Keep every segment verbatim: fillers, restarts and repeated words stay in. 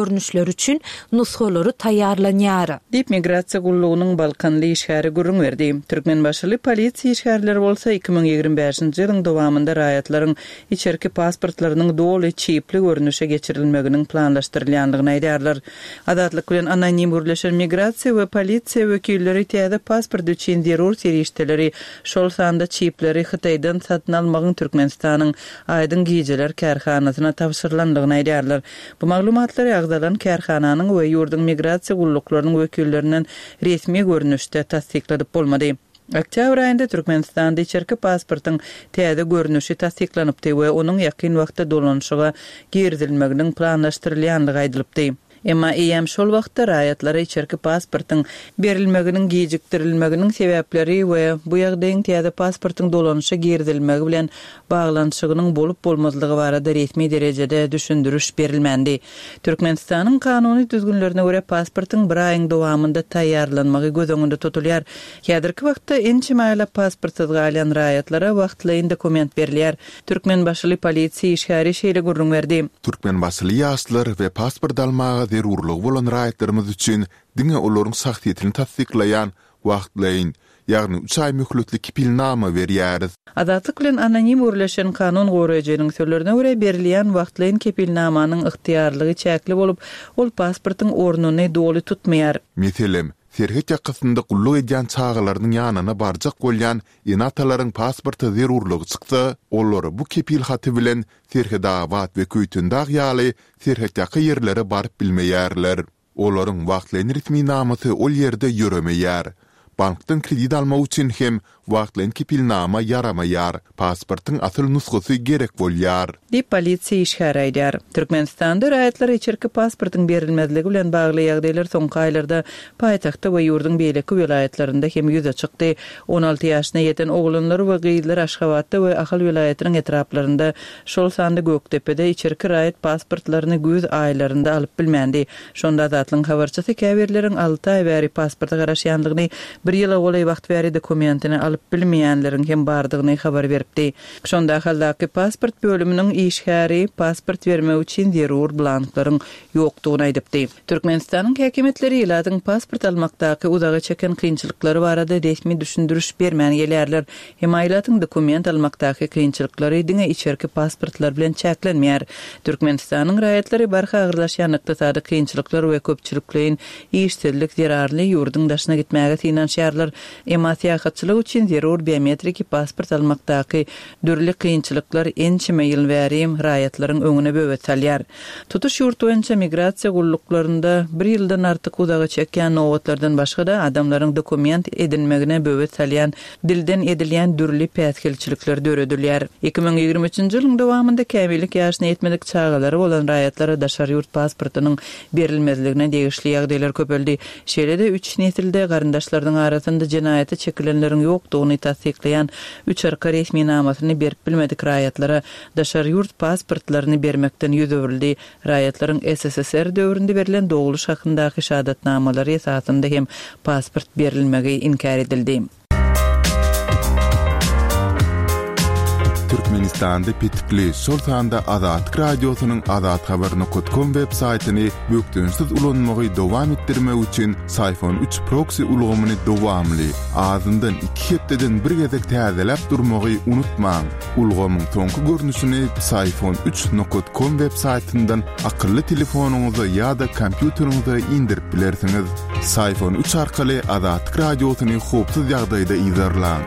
Görnüşleri üçin nusgalary taýýarlanýar. Diýip, migrasiýa gullugynyň balkanly işgäri gürrüň berdi. Türkmenbaşyly polisiýa işgärleri bolsa iki müň ýigrimi bäşinji ýylyň dowamynda raýatlaryň içerki pasportlarynyň doly çipli görnüşe geçirilmeginiň planlaşdyrylýandygyny aýdýarlar. Azatlyk bilen anonim gürleşen migrasiýa we polisiýa wekilleri täze pasport üçin zerur serişdeleri, şol sanda çipleri Hytaýdan satyn almagyň Türkmenistanyň Aýdyň gijeler kärhanasyna tabşyrylandygyny aýdýarlar. Bu maglumatlary agzalan kärhananyň we ýurduň migrasiýa gulluklarynyň wekillerinden resmi görnüşde tassykladyp bolmady. Oktýabr aýynda Türkmenistanda içerki pasportyň täze görnüşi tassyklanypdy we onuň ýakyn wagtda dolanyşyga girizilmeginiň planlaşdyrylýandygy aýdylypdy. Emma eýýäm şol wagtda raýatlara içerki pasportyň berilmeginiň gijikdirilmeginiň sebäpleri we bu ýagdaýyň täze pasportyň dolanyşa girizilmegi bilen baglanyşygynyň bolup-bolmazlygy barada resmi derejede düşündiriş berilmändi. Türkmenistanyň kanuny düzgünlerine görä, pasportyň bir aýyň dowamynda taýýarlanmagy göz öňünde tutulýar. Häzirki wagtda ençeme aýlap pasportsyz galýan raýatlara wagtlaýyn dokument berilýär. Türkmenbaşyly polisiýa işgäri şeýle gürrüň berdi. Türkmenbaşyly ýaşlar we pasport almaga zerurlygy bolan raýatlarymyz üçin diňe olaryň şahsyýetini tassyklaýan wagtlaýyn, ýagny üç aý möhletli kepilnama berýäris. Azatlyk bilen anonim gürleşen kanun goraýjynyň sözlerine görä, berilýän wagtlaýyn kepilnamanyň ygtyýarlygy çäkli bolup, ol pasportyň ornuny doly tutmaýar. Meselem, serhet ýakasynda gulluk edýän çagalarynyň ýanyna barjak bolýan ene-atalaryň pasporta zerurlygy çyksa, olar bu kepil haty bilen Serhetabat we Köýtendag ýaly serhetýaka ýerlere baryp bilmeýärler. Olaryň wagtlaýyn resminamasy ol ýerde ýöremeýär. Bankdan kredit almak üçin hem wagtlaýyn kepilnama ýaramaýar, pasportyň asyl nusgasy gerek bolýar. Diýip, polisiýa işgäri aýdýar. Türkmenistanda raýatlara içerki pasportyň berilmezligi bilen bagly ýagdaýlar soňky aýlarda paýtagtda we ýurduň beýleki welaýatlarynda hem ýüze çykdy. On alty ýaşyna ýeten oglanlar we gyzlar Aşgabatda we Ahal welaýatynyň etraplarynda, şol sanda Gökdepede içerki raýat pasportlaryny güýz aýlarynda alyp bilmändi. Şonda Azatlygyň habarçysy käbirleriň alty aý bäri pasporta garaşýandygyny, bir ýyla golaý wagt bäri dokumentini alyp bilmeýänleriň hem bardygyny habar beripdi. Şonda Ahaldaky pasport bölüminiň işgäri pasport bermek üçin zerur blanklaryň ýokdugyny aýdypdy. Türkmenistanyň häkimiýetleri ilatyň pasport almakdaky uzaga çeken kynçylyklary barada resmi düşündiriş bermän gelýärler. Emma ilatyň dokument almakdaky kynçylyklary diňe içerki pasportlar bilen çäklenmeýär. Türkmenistanyň raýatlary barha agyrlaşýan ykdysady kynçylyklar we köpçülikleýin işsizlik zerarly ýurduň daşyna gitmäge synanyşýarlar. Emma syýahatçylyk üçin zerur biometriki pasport almakdaky dürli kynçylyklar ençeme ýyl bäri raýatlaryň öňüne böwet salýar. Tutuş ýurt boýunça migrasiýa gulluklarynda bir ýyldan artyk uzaga çekýän nobatlardan başga-da adamlaryň dokument edinmegine böwet salýan dilden edilýän dürli päsgelçilikler döredilýär. Iki müň ýigrimi üçünji ýylyň dowamynda kämillik ýaşyna ýetmedik çagalary bolan raýatlara daşary ýurt pasportynyň berilmezligine degişli ýagdaýlar köpeldi. Şeýle-de üç nesilde garyndaşlarynyň arasynda jenaýata çekilenleriň ýokdugyny tassyklaýan üç arka resminamasyny berip bilmedik raýatlara daşary ýurt pasportlaryny bermekden ýüz öwrüldi. Raýatlaryň S S S R döwründe berlen dogluş hakyndaky şahadatnamalary esasynda hem pasport berilmegi inkär edildi. Türkmenistanda petikli, şol sanda Azatlyk Radiosynyň azathabar nokat kom web saýtyny bökdençsiz ulanmagy dowam etdirmek üçin Syfon üç proksi ulgamyny dowamly, azyndan iki hepdeden bir gezek täzeläp durmagy unutmaň. Ulgamyň soňky görnüşini Syfon üç nokat kom web saýtyndan akylly telefonyňyza ýa-da kompýuteriňize indirip bilersiňiz. Syfon üç arkaly Azatlyk Radiosyny howpsuz ýagdaýda yzarlaň.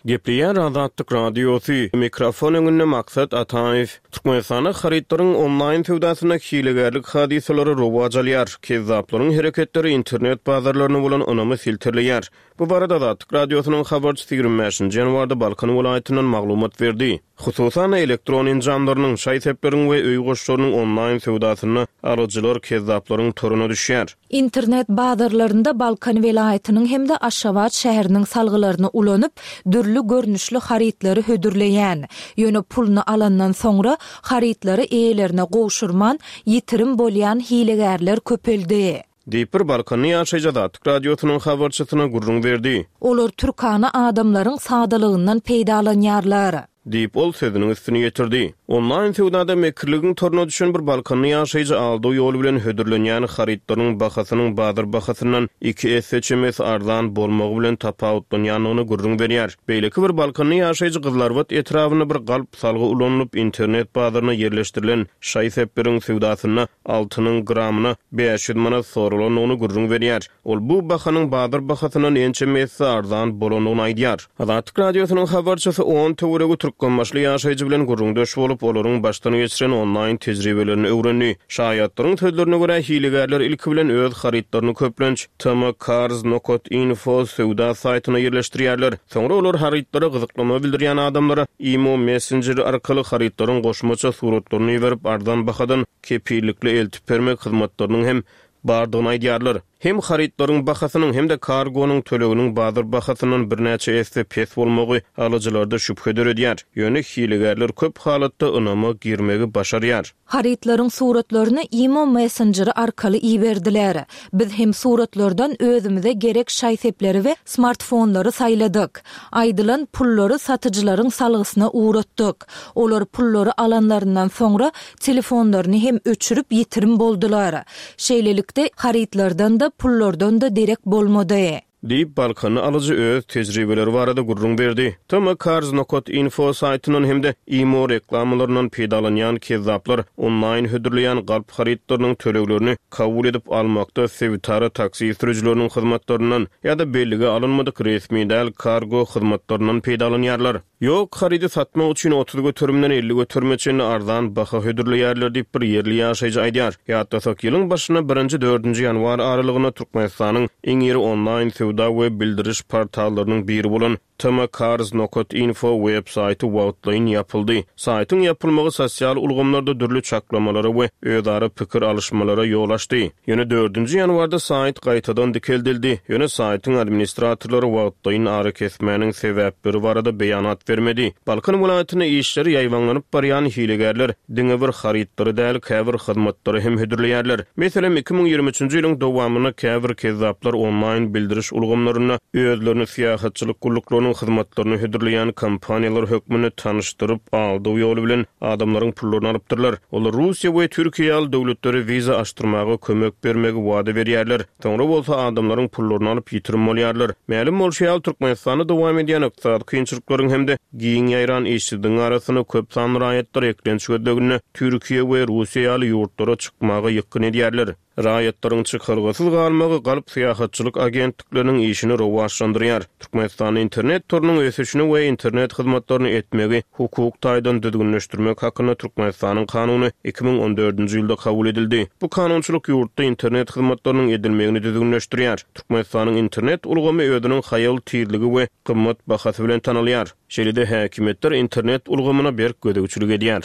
Gepleýär Azatlyk Radiosy, mikrofon öňünde Maksat Ataýew. Türkmenistanda harytlaryň onlaýn söwdasynda hilegärlik hadysalary rowaç alýar. Kezzaplaryň hereketleri internet bazarlaryna bolan ynamy silterleýär. Bu barada Azatlyk Radiosynyň habarçysy ýigrimi bäşinji ýanwarda Balkan welaýatyndan maglumat berdi. Hususan-da, elektron enjamlarynyň, şaý-sepleriň we öý goşlarynyň onlaýn söwdasynda alyjylar kezzaplaryň toruna düşýär. Internet bazarlarynda Balkan welaýatynyň hem-de Aşgabat şäheriniň salgylaryny ulanyp, dürli görnüşli harytlary hödürleýän, ýöne puluny alandan soňra harytlary eýelerine gowşurman, ýitirim bolýan hilegärler köpeldi. Diýip, bir balkanly ýaşaýjy Azatlyk Radiosynyň habarçysyna gürrüň berdi. Olar türkana adamlaryň sadalygyndan peýdalanýarlar. Diýip, ol sözüniň üstüni ýetirdi. Onlaýn söwdada mekirligiň toruna düşen bir balkanly ýaşaýjy aldaw ýoly bilen hödürlenýän harytlaryň bahasynyň bazar bahasyndan iki esse çemesi arzan bolmagy bilen tapawutlanýandygyny gürrüň berýär. Beýleki bir balkanly ýaşaýjy Gyzylarbat etrabynda bir galp salgy ulanylyp, internet bazaryna ýerleşdirilen şaý-sepleriň söwdasynda altynyň gramyna bäş ýüz manat soralandygyny gürrüň berýär. Ol bu bahanyň bazar bahasyndan ençeme esse arzan bolandygyny aýdýar. Azatlyk Radiosynyň habarçysy on töweregi türkmenbaşyly ýaşaýjy bilen gürrüňdeş bolup, olaryň başdan geçiren onlaýn tejribelerini öwrendi. Şaýatlaryň sözlerine görä, hilegärler ilki bilen öz harytlaryny köplenç tmcars nokat info söwda saýtyna ýerleşdirýärler. Soňra olar harytlara gyzyklama bildirýän adamlara imo messenjeri arkaly harytlaryň goşmaça suratlaryny iberip, arzan bahadan kepillikli eltip bermek hyzmatlarynyň hem bardygyny aýdýarlar. Hem harytlaryň bahasynyň hem-de kargonyň töleginiň bazar bahasyndan birnäçe esse pes bolmagy alyjylarda şübhe döredýär. Ýöne hilegärler köp halatda ynama girmegi başarýar. Harytlaryň suratlaryny imo messenjeri arkaly iberdiler. Biz hem suratlardan özümize gerek şaý-sepleri we smartfonlary saýladyk. Aýdylan pullary satyjylaryň salgysyna uğratdyk. Olar pullary alanlaryndan soňra telefonlaryny hem öçürip ýitirim boldular. Şeýlelikde harytlardan da pullardan da derek bolmady. Diýip, Balkanly alyjy öz tejribeleri barada gürrüň berdi. Tmcars nokat info saýtyndan hem-de imo reklamalaryndan peýdalanýan kezzaplar onlaýn hödürleýän galp harytlarynyň töleglerini kabul edip almakda sebitara taksi sürüjileriniň hyzmatlaryndan ýa-da bellige alynmadyk resmi däl kargo hyzmatlaryndan peýdalanýarlar. Ýok, harydy satmak üçin otuz göterimden elli göterime çenli arzan baha hödürleýärler diýip bir ýerli ýaşaýjy aýdýar. Ýatlasak, ýylyň başynda birinji dördünji ýanwar aralygynda Türkmenistanyň iň iri onlaýn söwda we bildiriş portallarynyň biri bolan tmcars nokat info web saýty wagtlaýyn ýapyldy. Saýtyň ýapylmagy sosial ulgamlarda dürli çaklamalara we özara pikir alyşmalara ýol açdy. Ýöne dördünji ýanwarda saýt gaýtadan dikeldildi. Ýöne saýtyň administratorlary wagtlaýyn ara kesmäniň sebäpleri barada beýanat bermedi. Balkan welaýatynda işleri ýaýbaňlanyp barýan hilegärler diňe bir harytlary däl, käbir hyzmatlary hem hödürleýärler. Meselem, iki müň ýigrimi üçünji ýylyň dowamynda käbir kezzaplar onlaýn bildiriş ulgamlarynda özlerini syýahatçylyk gulluklarynyň hyzmatlaryny hödürleýän kompaniýalar hökmünde tanyşdyryp, aldaw ýoly bilen adamlaryň pullaryny alypdyrlar. Olar Russiýa we Türkiýe ýaly döwletlere wiza açdyrmaga kömek bermegi wada berýärler. Soňra bolsa adamlaryň pullaryny alyp ýitirim bolýarlar. Mälim bolşy ýaly, Türkmenistanda dowam edýän ykdysady kynçylyklaryň hem-de giň ýaýran işsizligiň arasynda köp sanly raýatlar eklenç gözleginde Türkiýe we Russiýa ýaly ýurtlara çykmaga ýykgyn edýärler. Raýatlaryň çykalgasyz galmagy galp syýahatçylyk agentlikleriniň işini rowaçlandyrýar. Türkmenistanda internet torunyň ösüşini we internet hyzmatlaryny etmegi hukuk taýdan düzgünleşdirmek hakynda Türkmenistanyň kanuny iki müň on dördünji ýylda kabul edildi. Bu kanunçylyk ýurtda internet hyzmatlarynyň edilmegini düzgünleşdirýär. Türkmenistanyň internet ulgamy özüniň haýal tizligi we gymmat bahasy bilen tanalýar. Şeýle-de häkimiýetler internet ulgamyna berk gözegçilik edýär.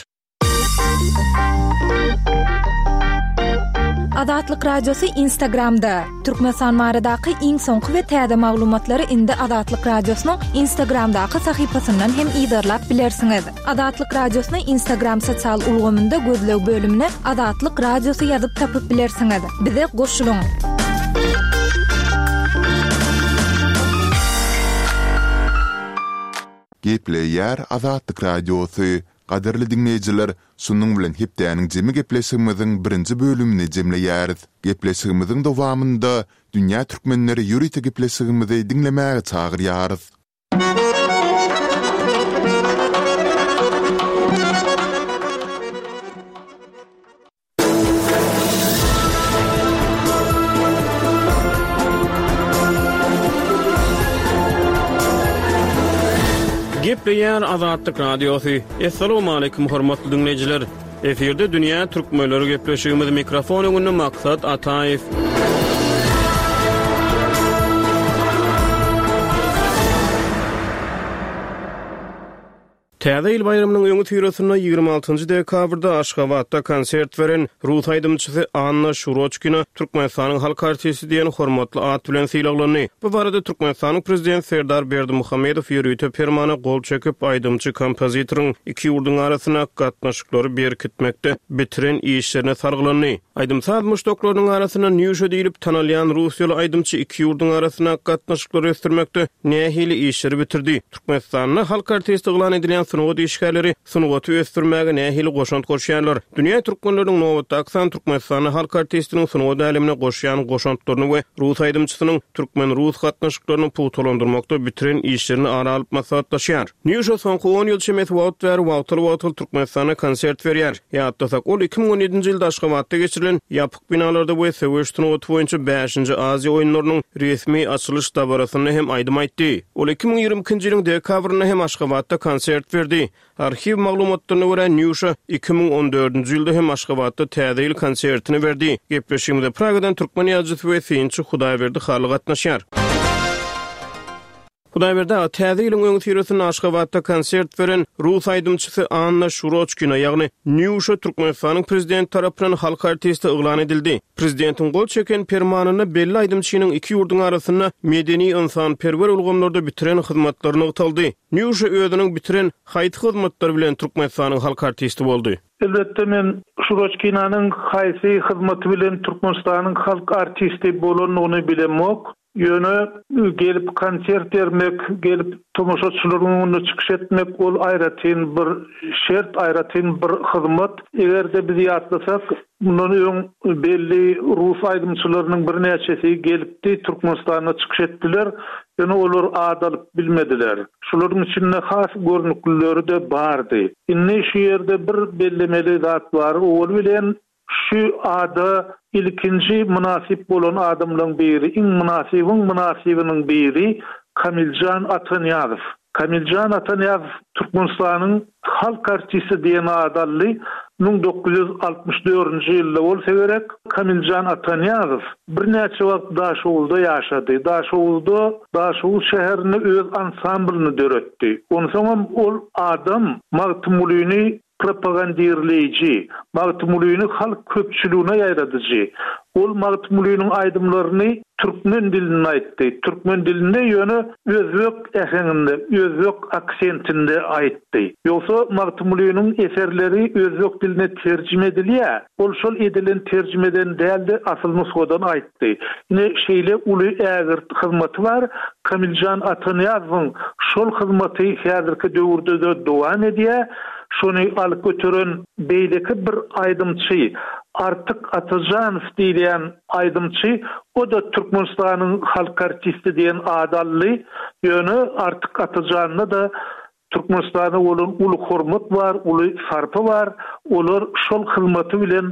Azatlyk Radiosy Instagramda. Türkmenistan baradaky iň soňky we täze maglumatlary indi Azatlyk Radiosynyň Instagramdaky sahypasyndan hem yzarlap bilersiňiz. Azatlyk Radiosyny Instagram sosial ulgamynda gözleg bölümine Azatlyk Radiosy ýazyp tapyp bilersiňiz. Bize goşulyň. Gepleýär Azatlyk Radiosy. Gadyrly diňleýjiler, şunuň bilen hepdäniň jemi gepleşigimiziň birinji bölümini jemleýäris. Gepleşigimiziň dowamynda Dünýä Türkmenleri ýörite gepleşigimizi diňlemäge çagyrýarys. Gepleýär Azatlyk Radiosy. Essalamu aleýkum hormatly diňleýjiler. Efirde Dünýä Türkmenleri gepleşigimiz mikrofon öňünde Maksat Ataýew. Täze ýyl baýramynyň öňi syrasynda ýigrimi altynjy dekabrda Aşgabatda konsert beren rus aýdymçysy Anna Şuroçkina Türkmenistanyň halk artisti diýen hormatly at bilen sylaglandy. Bu barada Türkmenistanyň prezidenti Serdar Berdimuhamedow ýörite permana gol çekip, aýdymçy kompozitoryň iki ýurduň arasynda gatnaşyklary berkitmekde bitiren işlerine sargylandy. Aýdym-saz muşdaklarynyň arasynda Nýuşa diýlip tanalýan russiýaly aýdymçy iki ýurduň arasynda gatnaşyklary ösdürmekde nähili işleri bitirdi? Türkmenistanda halk artisti yglan edilýän sungat işgärleri sungaty ösdürmäge nähili goşant goşýarlar? Dünýä türkmenleriniň nobatdaky sany Türkmenistanda halk artistiniň sungat älemine goşýan goşantlaryny we rus aýdymçysynyň türkmen-rus gatnaşyklaryny pugtalandyrmakda bitiren işlerini ara alyp maslahatlaşýar. Nýuşa soňky on ýyl çemesi wagt bäri wagtal-wagtal Türkmenistanda konsert berýär. Ýatlasak, ol iki müň on ýedinji ýylda Aşgabatda geçirilen ýapyk binalarda we söweş sungaty boýunça bäşinji Aziýa oýunlarynyň resmi açylyş dabarasynda hem aýdym aýtdy. Ol iki müň ýigrimi ikinji ýylyň dekabrynda hem Aşgabatda konsert berdi. Arhiw maglumatlaryna görä, Nýuşa iki müň on dördünji ýylda hem Aşgabatda Täze ýyl konsertini berdi. Gepleşigimize Pragadan türkmen ýazyjysy we synçy Hudaýberdi Hally gatnaşýar. Hudaýberdi aga, Täze ýylyň öňüsyrasynda Aşgabatda konsert beren rus aýdymçysy Anna Şuroçkina, ýagny Nýuşa Türkmenistanyň prezidenti tarapyndan halk artisti yglan edildi. Prezidentiň gol çeken permanynda belli aýdymçynyň iki ýurduň arasynda medeni-ynsanperwer ulgamlarda bitiren hyzmatlary nygtaldy. Nýuşa özüniň bitiren haýsy hyzmatlary bilen Türkmenistanyň halk artisti boldy? Elbetde men Şuroçkinanyň haýsy hyzmaty bilen Türkmenistanyň halk artisti bolandygyny bilemok. Ýöne gelip konsert bermek, gelip tomaşaçylaryň öňünde çykyş etmek ol aýratyn bir şert, aýratyn bir hyzmat. Eger-de biz ýatlasak, mundan öň belli rus aýdymçylarynyň birnäçesi gelipdi, Türkmenistanda çykyş etdiler, ýöne olar ad alyp bilmediler. Şularyň içinde has görnüklileri de bardy. Indi şu ýerde bir bellemeli zat bar. Owal bilen şu ada ilkinji mynasyp bolan adamlaryň biri, iň mynasybyň mynasybynyň biri Kamiljan Atanyýazow. Kamiljan Atanyýazow Türkmenistanyň halk artisti diýen ady aldy. Müň dokuz ýüz altmyş dördünji ýylda bolsa gerek. Kamiljan Atanyýazow birnäçe wagt Daşoguzda ýaşady. Daşoguzda, Daşoguz şäherinde öz ansamblyny döretdi. Onsoňam ol adam Magtymgulyny propagandirleýji, Magtymgulyny halk köpçüligine ýaýradyjy. Ol Magtymgulynyň aýdymlaryny türkmen dilinde aýtdy. Türkmen dilinde ýöne özbek äheňinde, özbek aksentinde aýtdy. Ýogsa Magtymgulynyň eserleri özbek diline terjime edilýär. Ol şol edilen terjimeden däldi, asyl nusgadan aýtdy. Ine şeýle uly ägirt hyzmaty bar. Kamiljan Atanyýazowyň şol hyzmaty häzirki döwürde-de dowam edýär. Şony alyp göteren beýleki bir aýdymçy Artyk Atajanow diýilýän aýdymçy, o da Türkmenistanyň halk artisti diýen ady aldy. Ýöne Artyk Atajanda da Türkmenistana bolan uly hormat bar, uly sarpa bar. Olar şol hyzmaty bilen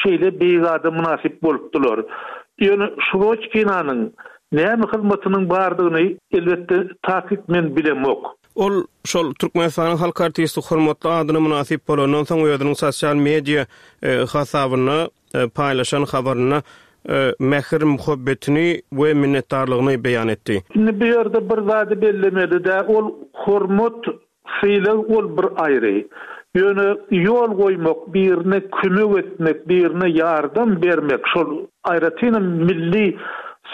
şeýle beýik ada mynasyp bolupdylar. Ýöne Şuroçkinanyň näme hyzmatynyň bardygyny elbetde takyk men bilemok. Ol şol Türkmenistanyň halk artisti hormatly adyna mynasyp bolandan soň özüniň sosial media, e, hasabynda, e, paýlaşan habarynda, e, mähir muhabbetini we minnetdarlygyny beýan etdi. Indi bu ýerde bir zady bellemeli de, ol hormat sylag ol bir aýry. Ýöne ýol goýmak, birine kömek etmek, birine ýardam bermek, şol aýratynam milli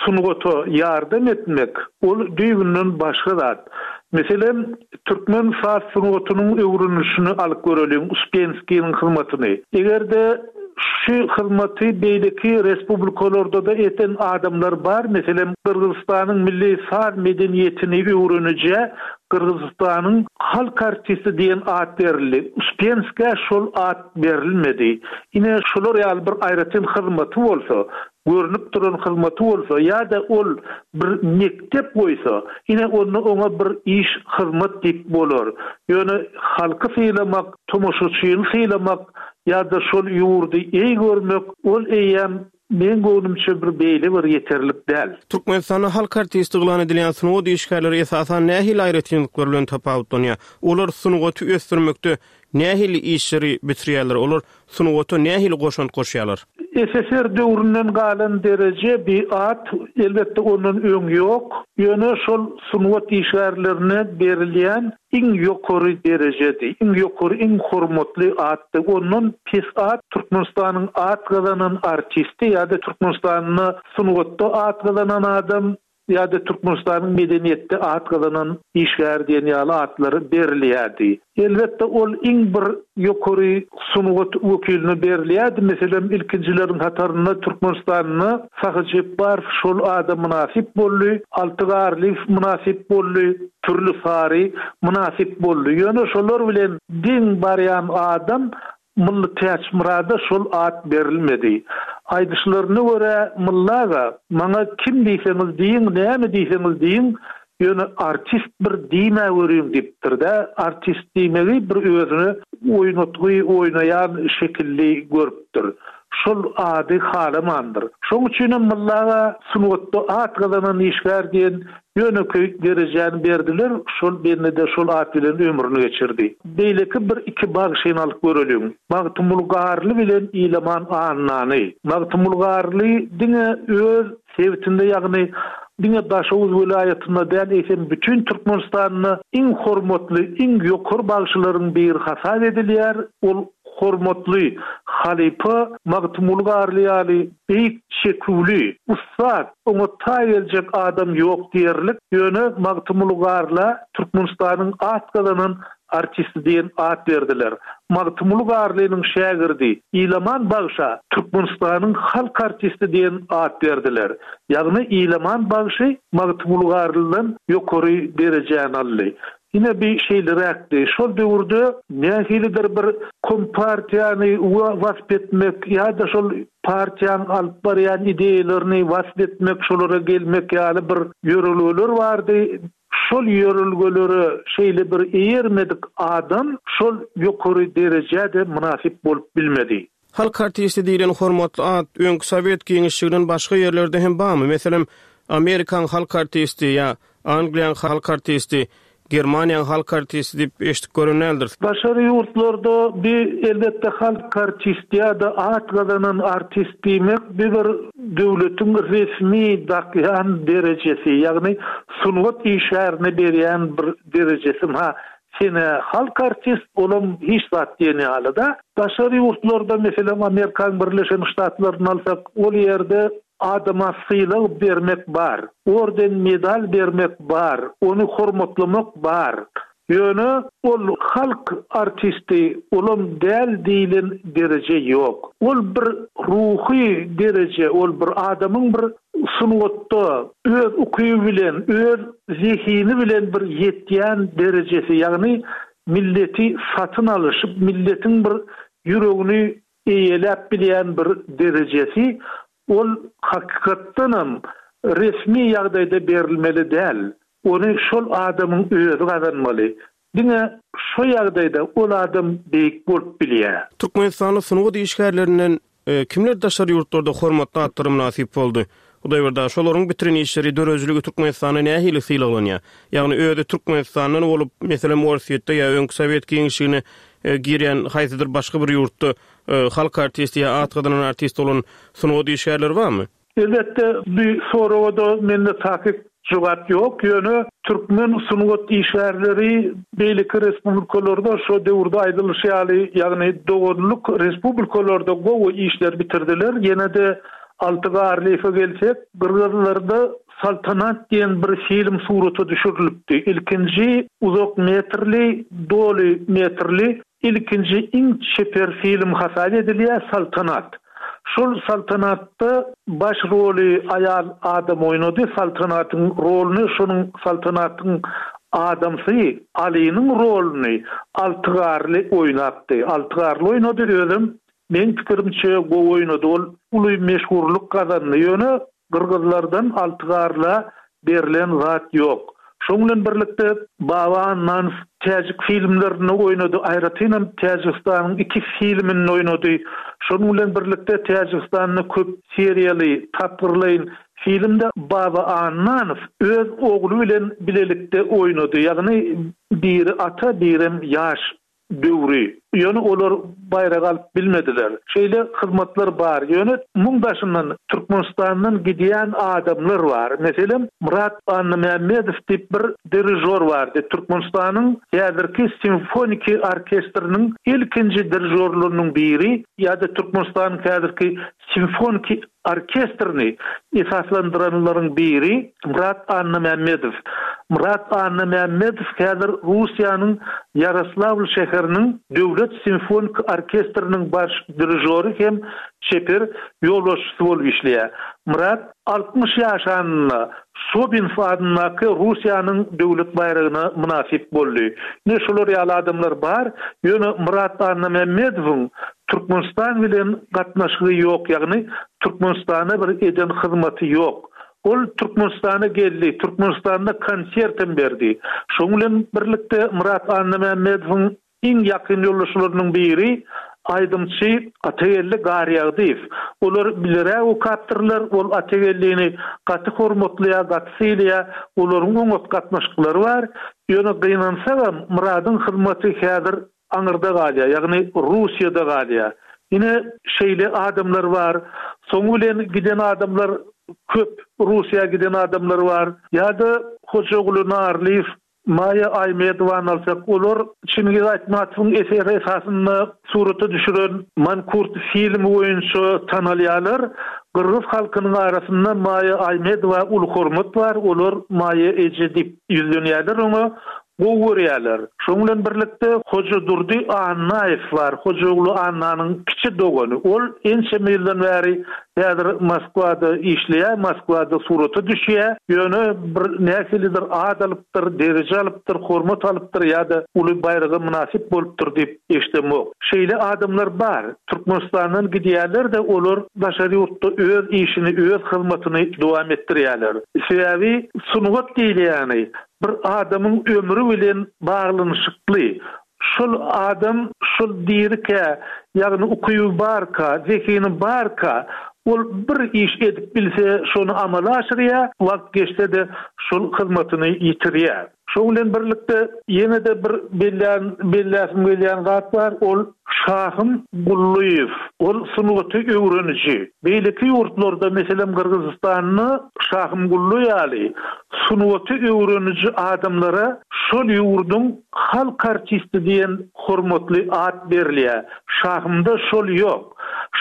sungata ýardam etmek, ol düýbünden başga zat. Meselem, türkmen saz sungatynyň öwrenilişini alyp göreliň, Uspenskiniň hyzmatyny. Eger-de şu hyzmaty beýleki respublikalarda da eten adamlar bar, meselem, Gyrgyzystanyň milli saz medeniýetini öwrenije Gyrgyzystanyň halk artisti diýen at berildi. Uspenska şol at berilmedi. Ine şolar ýaly bir aýratyn hyzmaty bolsa, görünip duran hyzmaty bolsa ýa-da ol bir mekdep goýsa, ine onda oňa bir iş hyzmat diýip bolar. Ýöne halky sylamak, tomaşaçyny sylamak ýa-da şol ýurdy eý görmek, ol eýem men göwnümçe bir beýle bir ýeterlik däl. Türkmenistanda halk artisti yglan edilýän sungat işgärleri esasan nähili aýratynlyklar bilen tapawutlanýar? Olar sungaty ösdürmekde nähili işleri bitirýärler? Olar sungata nähili goşant goşýarlar? S S R döwründen galan dereje bir at, elbetde ondan öň ýok. Ýöne şol sungat işgärlerine berilýän iň ýokary derejedi, iň ýokary, iň hormatly atdy. Ondan pes at Türkmenistanyň at gazanan artisti ýa-da Türkmenistanda sungatda at gazanan adam ýa-da Türkmenistanyň medeniýetde at gazanan işgäri diýen ýaly atlar berilýärdi. Elbetde, ol iň bir ýokary sungat wekiline berilýärdi. Meselem, ilkinjileriň hatarynda Türkmenistanda Sahy Jepbarow şol ada mynasyp boldy, Alty Garlyýew mynasyp boldy, Pürli Sary mynasyp boldy. Ýöne şolar bilen deň barýan adam Mylly Täçmyrada şol at berilmedi. Aýdyşlaryna görä, Mylly aga, maňa kim diýseňiz diýiň, näme diýseňiz diýiň, ýöne artist bir diýmäweriň diýipdir-dä. Artist diýmegi bir özüne oýnatgy oýnaýan şekilli görüpdir. Şol ady halamandyr. Şoň üçinem Mylly aga sungatda at gazanan işgär diýen Ýönekeý derejäni berdiler, şol bende-de şol at bilen ömrüni geçirdi. Beýleki bir iki bagşyny alyp göreliň. Magtymguly Garly bilen Ilaman Annany. Magtymguly Garly diňe öz sebitinde ýagny diňe Daşoguz welaýatynda däl, eýsem bütin Türkmenistanda iň hormatly, iň ýokary bagşylaryň biri hasap edilýär. Ol hormatly halypa Magtymguly Garly ýaly beýik çeküwli, ussat, oňa taý geljek adam ýok diýerlik, ýöne Magtymguly Garla Türkmenistanyň at gazanan artisti diýen at berdiler. Magtymguly Garlynyň şägirdi Ilaman bagşa Türkmenistanyň halk artisti diýen at berdiler. Ýagny Ilaman bagşy Magtymguly Garlydan ýokary derejäni aldy. Ine bi şeýleräkdi. Şol döwürde nähilidir bir kompartiýany wasp etmek ýa-da şol partiýaň alyp barýan ideýalaryny wasp etmek, şolara gelmek ýaly bir ýörelgeler bardy. Şol ýörelgelere şeýle bir eýermedik adam şol ýokary derejä-de mynasyp bolup bilmedi. Halk artisti diýlen hormatly at öňki sowet giňişliginden başga ýerlerde hem barmy? Meselem, Amerikaň halk artisti ýa Angliýaň halk artisti, Germaniýaň halk artisti diýip eşidip gören däldiris. Daşary ýurtlarda bi elbetde halk artisti ýa-da at gazanan artist diýmek bi bir döwletiň resmi dakýan derejesi, ýagny sungat işgärine berýän bir derejesi. Ha, sen-ä halk artist, olam hiç zat diýen ýaly-da. Daşary ýurtlarda, meselem, Amerikaň Birleşen Ştatlaryny alsak, ol ýerde Adama sylag bermek bar, orden-medal bermek bar, ony hormatlamak bar. Ýöne ol halk artisti olam däl diýlen dereje ýok. Ol bir ruhy dereje, ol bir adamyň bir sungatda öz ukyby bilen, öz zehini bilen bir ýetýän derejesi, ýagny milleti satyn alyşyp, milletiň bir ýüregini eýeläp bilýän bir derejesi. Ol hakykatdanam resmi ýagdaýda berilmeli däl. Ony şol adamyň özi gazanmaly. Diňe şo ýagdaýda ol adam beýik bolup bilýär. Türkmenistanly sungat işgärlerinden kimler daşary ýurtlarda hormatly atlara mynasyp boldy? Hudaýberdi aga, şolaryň bitiren işleri, döredijiligi Türkmenistanda nähili sylaglanýar? Ýagny özi Türkmenistandan bolup, meselem, Orsýetde ýa öňki sowet giňişligine girýän haýsydyr başga bir ýurtda halk artisti ýa at gazanan artist bolan sungat işgärleri barmy? Elbetde, bu soraga-da mende takyk jogap ýok. Ýöne türkmen sungat işgärleri beýleki respublikalarda şo döwürde aýdylyşy ýaly, ýagny doganlyk respublikalarda gowy işler bitirdiler. Ýene-de Alty Garlyýewe gelsek, gyrgyzlarda Saltanat diýen bir film surata düşürilipdi. Ilkinji uzak metrli, doly metrli ilkinji iň çeper film hasap edilýär Saltanat. Şol Saltanatda baş roly aýal adam oýnady, Saltanatyň roluny şonuň Saltanatyň adamsy Alynyň roluny Alty Garly oýnapdy. Alty Garly oýnady, özem meň pikirimçe gowy oýnady. Ol uly meşhurlyk gazandy. Ýöne Gyrgyzlardan Alty Garla berlen zat ýok. Şoň bilen birlikde Baba Annanow täjik filmlerinde oýnady, aýratynam Täjigistanyň iki filminde oýnady. Şonuň bilen birlikde Täjigistanda köp seriýaly, tapgyrlaýyn filmde Baba Annanow öz ogly bilen bilelikde oýnady, ýagny biri ata, birem ýaş döwri. Ýöne olar baýrak alyp bilmediler. Şeýle hyzmatlar bar. Ýöne muň daşyndan Türkmenistandan gidýän adamlar bar. Meselem, Myrat Annamämmedow diýip bir dirižor bardy. Türkmenistanyň häzirki simfoniki orkestriniň ilkinji dirižorlarynyň biri ýa-da Türkmenistanyň häzirki simfoniki orkestrini esaslandyranlaryň biri Myrat Annamämmedow. Myrat Annamämmedow häzir Russiýanyň Ýaroslawl şäheriniň döwlet simfonik orkestriniň baş dirižory hem çeper ýolbaşçysy bolup işleýär. Myrat altmyş ýaşanynda Sobinow adyndaky Russiýanyň döwlet baýragyna mynasyp boldy. Ine şular ýaly adamlar bar, ýöne Myrat Annamämmedowyň Türkmenistan bilen gatnaşygy ýok, ýagny Türkmenistana bir eden hyzmaty ýok. Ol Türkmenistana geldi, Türkmenistanda konsert hem berdi. Şonuň bilen birlikde Myrat Annamämmedowyň iň ýakyn ýoldaşlarynyň biri aýdymçy Atageldi Garýagdyýew. Olar bileräk okapdyrlar, ol Atageldini gaty hormatlaýar, gaty sylaýar, olaryň oňat gatnaşyklary bar. Ýöne gynansagam Myradyň hyzmaty häzir aňyrda galýar, ýagny Russiýada galýar. Ine şeýle adamlar bar. Soňy bilen giden adamlar köp, Russiýa giden adamlar bar. Ýa-da Hojaguly Narlyýew, Maýa Aýmedowany alsak, olar Çingiz Aýtmatowyň eseri esasynda surata düşüren Mankurt filmi boýunça tanalýarlar. Gyrgyz halkynyň arasynda Maýa Aýmedowa uly hormat bar, olar Maýa eje diýip ýüzlenýärler oňa. Gowy görýärler. Şonuň bilen birlikde Hojadurdy Annaýew bar, Hojaguly Annanyň kiçi dogany. Ol ençeme ýyldan bäri häzir Moskwada işleýär, Moskwada surata düşýär. Ýöne bir nähilidir at alypdyr, dereje alypdyr, hormat alypdyr ýa-da uly baýraga mynasyp bolupdyr diýip eşidemok. Şeýle adamlar bar. Türkmenistandan gidýärler-de, olar daşary ýurtda öz işini, öz hyzmatyny dowam etdirýärler. Sebäbi sungat diýilýäni bir adamyň ömri bilen baglanyşykly. Şol adam şol dirikä, ýagny ukyby barka, zehini barka, ol bir iş edip bilse, şony amala aşyrýar, wagt geçse-de şol hyzmatyny ýitirýär. Şoň bilen birlikde ýene-de bir bellän, belläsim gelýän zat bar, ol Şahym Gullyýew. Ol sungaty öwreniji. Beýleki ýurtlarda, meselem Gyrgyzystanda Şahym Gully ýaly sungaty öwreniji adamlara şol ýurduň halk artisti diýen hormatly at berilýär. Şahymda şol ýok.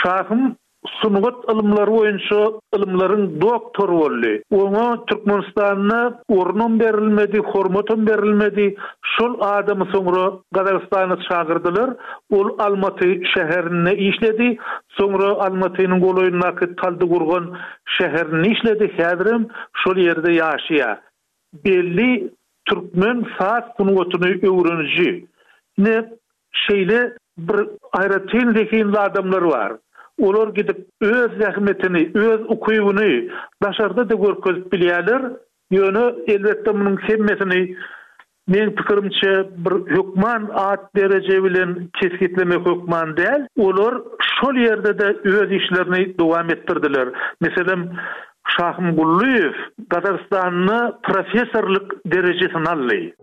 Şahym sungat ylymlary boýunça ylymlaryň doktory boldy. Oňa Türkmenistanda ornam berilmedi, hormatam berilmedi. Şol adamy soňra Gazagystana çagyrdylar. Ol Almaty şäherinde işledi. Soňra Almatynyň golaýyndaky Taldygurgan şäherinde işledi. Häzirem şol ýerde ýaşaýar. Belli türkmen saz sungatyny öwreniji. Ine, şeýle bir aýratyn zehinli adamlar bar. Olar gidip öz zähmetini, öz ukybyny daşarda-da görkezip bilýärler. Ýöne, elbetde, munuň hemmesini, meň pikirimçe, bir hökman at dereje bilen kesgitlemek hökman däl. Olar şol ýerde-de öz işlerini dowam etdirdiler. Meselem, Şahym Gullyýew Gazagystanda professorlyk derejesini aldy.